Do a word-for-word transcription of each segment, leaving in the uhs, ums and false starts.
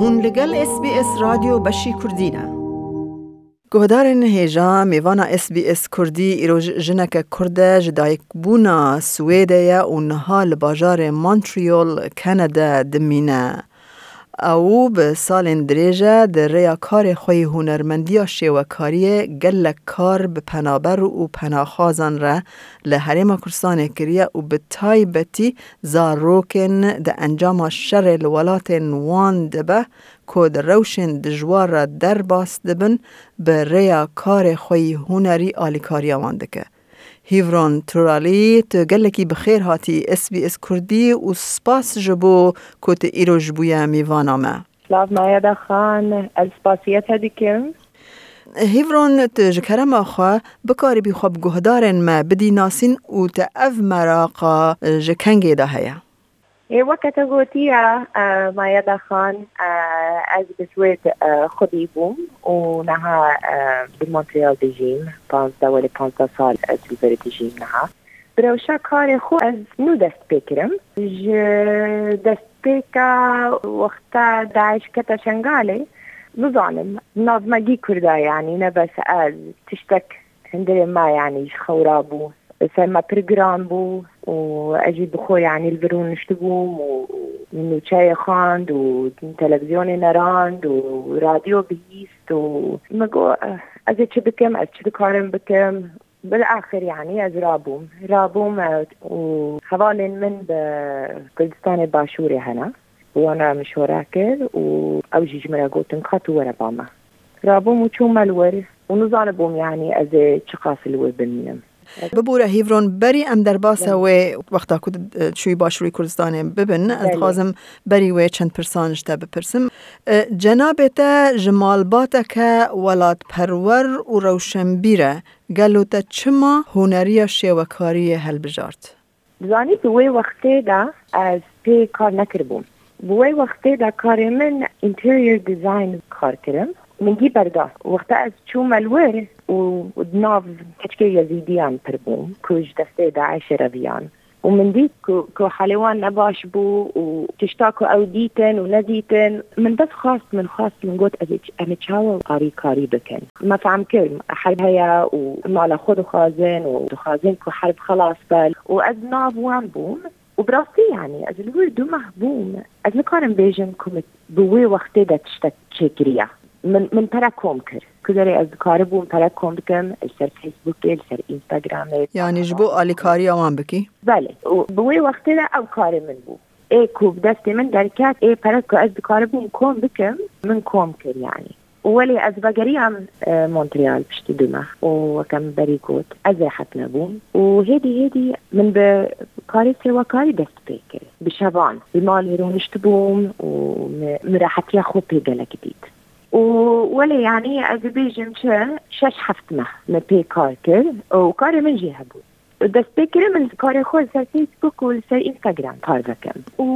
Hûn li gel S B S Radyo Beşî Kurdî ne. Guhdarên hêja, mêvana S B S Kurdî îroj jineke Kurd e, ji dayikbûna Swêdê ye û niha li bajarê Montreal, Kanada dimîne. Ew bi salên dirêj e di rêya karê xwe yî hunermendiya şêwekariyê gelek kar bi penaber û penaxwazan re li Herêma Kurdistanê kiriye û bi taybetî zarokên di encama şerê li welatên wan de be ku di rewşên dijwar re derbas dibin, bi rêya karê xwe yî hunerî alîkariya wan dike. Hîvron Turalî, tu gelekî bi xêr hatî S B S Kurdî û spas ji bo ku tu îro ji bûye mêvana me. Silav Mayeda Xan, ez spasiya te dikim. Hîvron, tu ji kerema xwe bikaribî xwe bi guhdarên me bidî nasîn û te ev meraqa ji kengê de heye? Ê, weke te gotiye, e, Mayeda Xan, e, ez bi Swêd, e, xwedî bûm û niha, e, di Montreal dijîm. Panzdeh, welê panzdeh sal ez li vir dijîm niha. Bi rewşa karê xwe ez nû dest pê kirim. Ji destpêka wexta DAIŞ kete Şengalê, nizanim, navmegî Kurda, yanî ne bes ez, tiştek hundirê me, yanî ji xew rabû. Ser me pir giran bû û ez jî bi xwe, yanî li vir rûniştibûm û nûçeyê xwend û televîzyonê nerand û radyo bihîst û min got, "Eh, ez ê çi bikim, ez çi dikarim bikim?" Bilaxir, yanî ez rabûm. Rabûm, e, û hevalên min bi Kurdistanê Başûrê hene. Wana mişwara kir û ew jî ji min re gotin, "Ka tu were ba me." Rabûm û çûme li wir û nizanibûm, yanî ez ê çiqas li wir bimînim. Bibûre Hîvron, berî em derbasa Belê. wê wexta ku, e, çûyî Başûrê Kurdistanê bibin, ez Belê. dixwazim berî wê çend pirsan ji te bipirsim. E, cenabê te ji malbateke welatperwer û rewşenbîr e. Gelo te çima huneriya şêwekariyê helbijart? Dizanî, bi wê wextê de ez pê kar nekiribûm. Bi wê wextê de karê min interior design kar kirim. Min dî berda. Wexta ez çûme li wir û di nav keçikê Yezîdiyan pir bûm, ku ji destê DAIŞê re viyan. Û min dît ku, ku halê wan ne baş bû û tişta ku ew dîtin û nedîtin, min bes xwest, min xwest, min got, "Ez ê ç-, em ê çawa alîkarî bikin?" Me fehm kir, herb heye û mala xwe dixwazin û dixwazin ku herb xelas be. Û ez nav wan bûm. Û bi rastî, yanî, ez li wir du meh bûm. Ez nikarim bêjim ku min bi wê wextê de tiştek çêkiriye. Min, min pere kom kir. Ku derê ez dikaribûm pere kom bikim, li ser Facebookê, li ser Instagramê. Yanî ji bo alîkariya wan bikî? Belê. Û bi wê wextê de ew karê min bû. Ê ku bi destê min derket, ê pere ku ez dikaribûm kom bikim, min kom kir, yanî. Û welê ez vegeriyam, e, Montreal piştî du meh. Û weke min berî got, ez rêhet nebûm. Û hêdî hêdî min bi karê sêwekarî dest pê kir. Bi şevan li malê rûniştibûm û min, min rehetiya xwe pê gelek dît. Û welê, yanî, ez dibêjim çi, şeş heft meh min pê kar kir û karê min jî hebû. Destpêkirî min karê xwe li ser Facebook û li ser Instagram parve kim. Û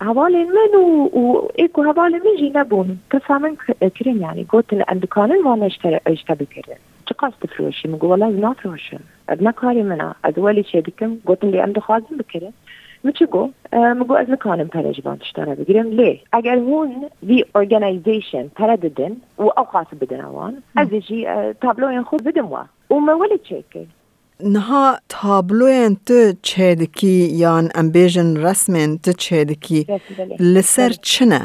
hevalên min û, û ê ku hevalên min jî nebûn, pirsa min ki-, kirin, yanî gotin, "Em dikarin vana ji te, ji te bikirin? Çiqas difiroşî?" Min got, "Wela ez nafiroşim. Ev ne karê min e. Ez welê çê dikim." Gotin, "Lê em dixwazin bikirin." Min çi got? E, min got, "Ez nikarim pere ji van tiştan re bigirim. Lê eger hûn vî organization pere didin û ew qas bidin wan, ez ê jî, e, tabloyên xwe bidim we." Û me welê çêkir. Niha tabloyên tu çêdikî yan em bêjin resmên tu çêdikî Resim, belê. li ser Belê. çi ne?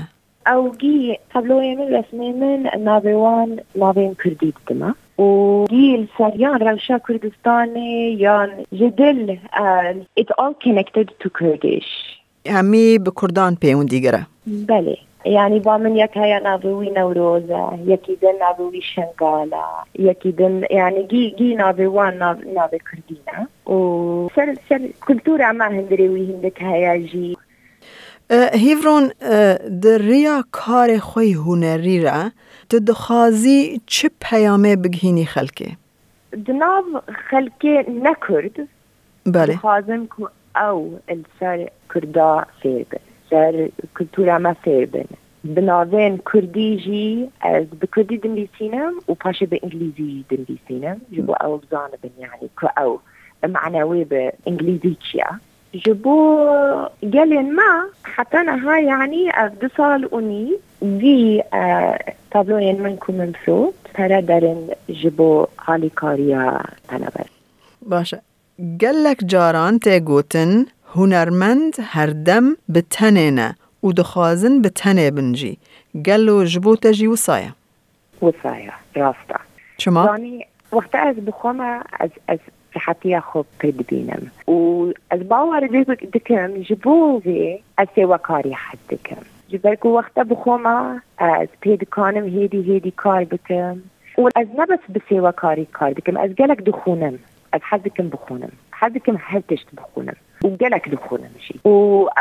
Ew gî tabloyê min, resmê min, navê wan navên kurdî didime. Û gî li ser yan rewşa Kurdistanê yan ji dil, e, it's all connected to Kurdish. Hemî bi kurdan pêwendîgir e. Belê. Yanî ba min yek heye navê wî Newroz e, yekî din navê wî Şengal e, yekî din, yanî gî, gî navê wan nav-, navê kurdî ne. Û ser, ser kultura me hundirê wî hindik heye jî. E, Hîvron, e, di riya karê xwe yî hunerî re, tu dixwazî çi peyamê bigihînî xelkê? Di nav xelkê ne kurd, Belê. dixwazim ku ew li ser kurda fêr bin, ser kultura me fêr bin. Bi navên kurdî jî ez bi kurdî dinivîsînim û paşê bi îngilîzî jî dinivîsînim. Ji bo ew bizanibin, yanî ku ew mane wê bi îngilîzî çi ye. Ji bo gelên me heta niha, yanî ev du sal û nîv vî, e, tabloyên min ku min firot, pere derin ji bo alîkariya penaber. Baş e. Gelek caran tê gotin, hunermend herdem bi tenê ne û dixwazin bi tenê bin jî. Gelo ji bo te jî wisa ye? Wisa ye, rast e. Çima? Zanî, wexta ez bi xwe me, ez, ez rehetiya xwe pir dibînim. Û ez bawer di-, dikim, ji bo vê ez sêwekarî hez dikim. Ji ber ku wexta bi xwe me, ez pê dikanim hêdî hêdî kar bikim. Û ez ne bes bi sêwekarî kar dikim, ez gelek dixwînim. Ez hez dikim bixwînim. Hez dikim her tişt bixwînim. Û gelek dixwînim jî. Û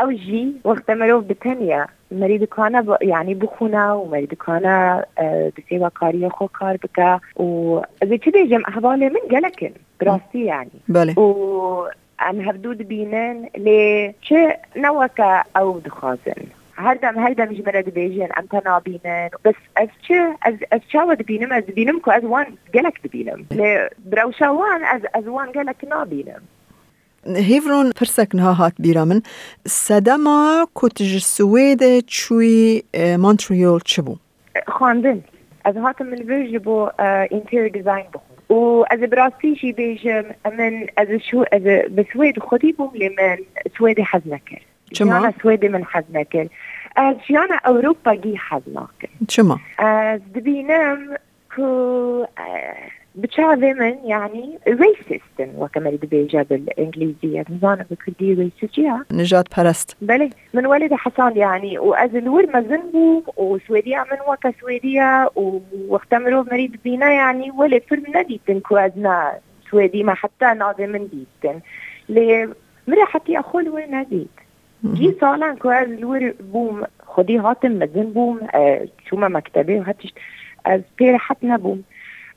ew jî wexta mirov bi tenê ye, merî dikane bi-, yanî bixwîne û merî dikane, e, bi sêwekariyê xwe kar bike. Û ez ê çi bêjim, hevalê min gelek in. Bi rastî yanî. Belê. Û em hevdû dibînin, lê çi ne weke ew dixwazin. Her dem, her dem ji min re dibêjin, em te nabînin. Bes ez çi, ez, ez çawa dibînim? Ez dibînim ku ez wan gelek dibînim. Lê bi rewşa wan ez, ez wan gelek nabînim. Hêvron, pirsek niha hat bîra min. Sedema ku tu ji Swêdê çûyî, e, Montreal çi bû? Xwendin. Ez hatim li vir ji bo, e, interior design bixwim. Û ez ê bi rastî jî bêjim, min, ez ê şû-, ez ê bi Swêd xwedî bûm, lê min Swêdê hez nekir. Çima? Jiyana Swêdê min hez nekir. Ez jiyana Ewropagî hez nakim. Çima? Ez dibînim ku, e, bi çavê min, yanî racist in, weke merî dibêje bi îngilîzî, ez nizanim bi kurdî racist çi ya? Nijadperest. Belê, min welê de hesand, yanî, û ez li wir mezin bûm, û Swêdiya min weke Swêdiya, û wexta mirov merî dibîne, yanî, welê pir nedîtin ku ez ne Swêdî me, heta navê min dîtin. Lê min rehetiya xwe li wir nedît. Gî salan ku ez li wir bûm, xwedî hatim mezin bûm, e, çûme mektebê û her tişt, ez pê rehet nebûm.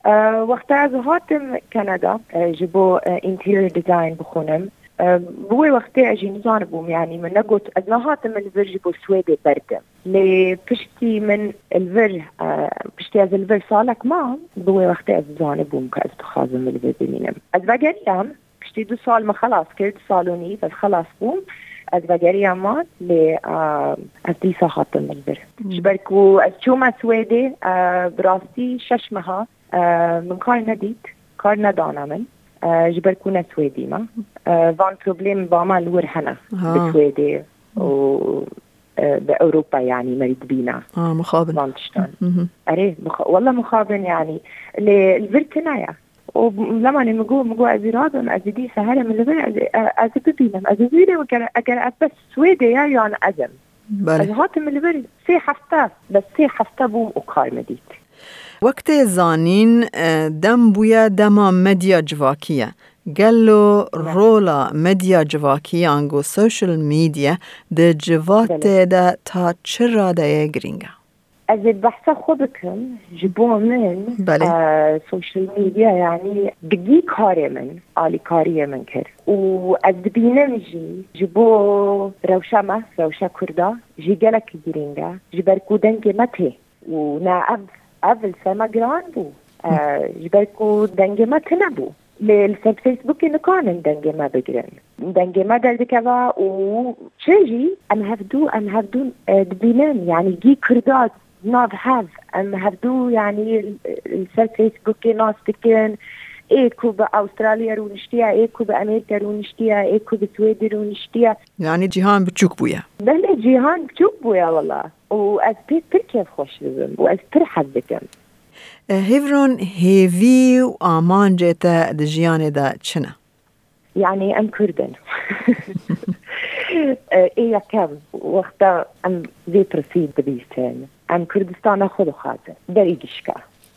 E, wexta ez hatim Kanada, e, ji bo, e, interior design bixwînim, e, bi wê wextê ez jî nizanibûm, yanî min negot, ez nehatim li vir ji bo Swêdê berdim. Lê piştî min li vir, e, piştî ez li vir salek mam, bi wê wextê ez zanibûm ku ez dixwazim li vir bimînim. Ez vegeriyam, piştî du sal min xelas kir, du sal û nîv ez xelas bûm. Ez vegeriyam man, lê, e, ez dîsa hatim li vir. Ji ber ku ez çûme Swêdê, e, bi rastî şeş meha, e, min kar nedît, kar nedane min. E, ji ber ku ne Swêdî me. E, van problem ba me li wir hene. Ha. Bi Swêdê û, e, bi Ewropa, yanî merî dibîne. Ha, mixabin. Van tiştan. Erê, mixa-, wela mixabin, yanî. Lê li vir tune ye. Û lemanê min got, min got, ez ê rabim, ez ê dîsa herim li vir, ez ê, e, ez ê bibînim, ez ê bibînim, eger, eger ev bes Swêdê ye yan ez im. Belê. Ez hatim li vir sê hefte, bes sê hefte bûm û kar min dît. Wek tê zanîn, e, dem bûye dema medya civakî ye. Gelo rola medya civakî, ango social media, di civatê de ta çi radeyê girîng e? Ez ê behsa xwe bikim, ji bo min, Belê. e, social media, yanî digî karê min, alîkariyê min kir. Û ez dibînim jî, ji bo rewşa me, rewşa Kurda, jî gelekî girîng e, ji ber ku dengê me tê. Û ne ev, ev li ser me giran bû. E, ji ber ku dengê me tune bû. Lê li ser Facebookê nikarin dengê me bigirin. Dengê me derdikeve û çi jî em hevdû, em hevdû, e, dibînin. Yanî gî Kurda nav hev, em hevdû, yanî, e, li ser Facebookê nas dikin. Ê ku bi Awustralya rûniştiye, ê ku bi Amerîka rûniştiye, ê ku bi Swêdê rûniştiye. Yanî cîhan biçûk bûye. Belê, cîhan biçûk bûye wela. Û ez pê pir kêfxweş dibim û ez pir hez dikim. E, Hêvron, hêvî û amancê te di jiyanê de çi ne? Yanî em Kurd in. E, ê yekem, wexta em vê pirsî dibîsin, em Kurdistana xwe dixwazin, berî gişka.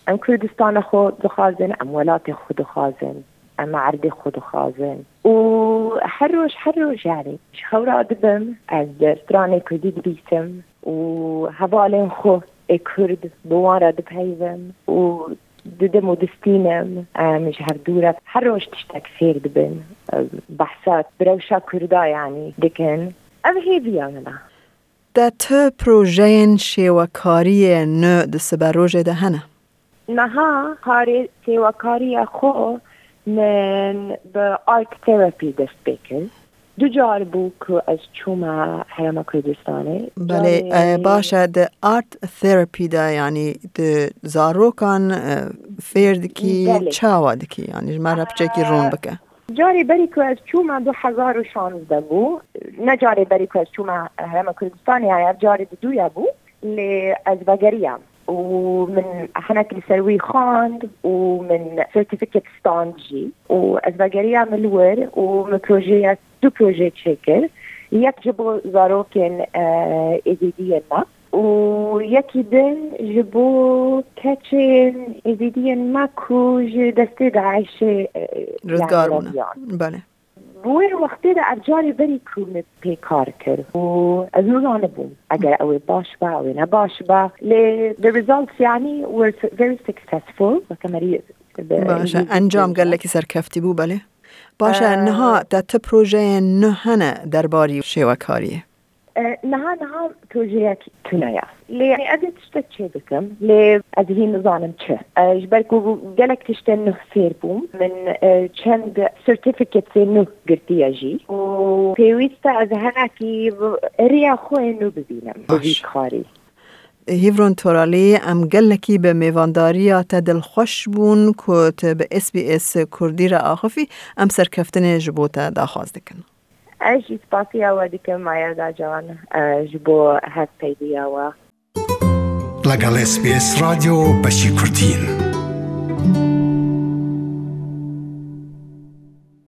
Em Kurdistana xwe dixwazin, em welatê xwe dixwazin, em erdê xwe dixwazin. Û her roj, her roj, yanî, ji xew radibim, ez stranê Kurdî dibîsim û hevalên xwe ê Kurd bi wan re dipeyivim û didim û distînim, em ji hevdû re her roj tiştek fêr dibin, em behsa bi rewşa Kurda, yanî, dikin. Ev hêviya min e. Te tu projeyên şêwekariyê nû di siberojê de hene? Niha karê sêwekariya xwe min bi art therapy dest pê kir. Du car bû ku ez çûme Herêma Kurdistanê. Belê, e, baş e, di art therapy de, yanî di zarokan, e, fêr dikî, Belê. Çawa dikî? Yanî ji me re piçekî rûn bike. Carê berî ku ez çûme du hezar û şazdeh bû. Ne carê berî ku ez çûme Herêma Kurdistanê, ya ev carê didûya bû. Lê ez vegeriyam û min hinek li ser wî xwend û min certificate stand jî û ez vegeriyam li wir û min projeya, du proje çêkir. Yek ji bo zarokên, e, êzîdiyên me û yekî din ji bo keçên êzîdiyên me ku ji destê DAIŞê, e, Rizgar yani bûne. Reviyan. Belê. Bi wê wextê de ev carê berî ku min pê kar kir û ez nizanibûm eger ew ê baş be, ew ê ne baş be. Lê the results, yani, were su- very successful. Weke merî bi Baş e, îngilîzî encam dibêjin. Gelekî serkeftî bû, belê. Baş e, Ee, niha te ti projeyên nû hene derbarî şêwekariyê? E, niha, niha projeyek tune ye. Lê, yani, ez ê tiştek çê bikim. Lê ez hîn nizanim çi. E, ji ber ku gelek tiştên nû fêr bûm. Min, e, çend certificatesê nû girtiye jî. Û pêwîst e ez henekî riya xwe yê nû bibînim. Bi Baş. Vî karî. Hîvron Toralî, em gelekî bi mêvandariya te dilxweş bûn ku tu bi S B S Kurdî re axifî. Em serkeftinê ji bo te daxwaz dikin. Ez jî spasiya we dikim, Mayada Can, e, ji bo hevpeyviya we. لەگەڵ S B S رادیۆ بەشی کوردین.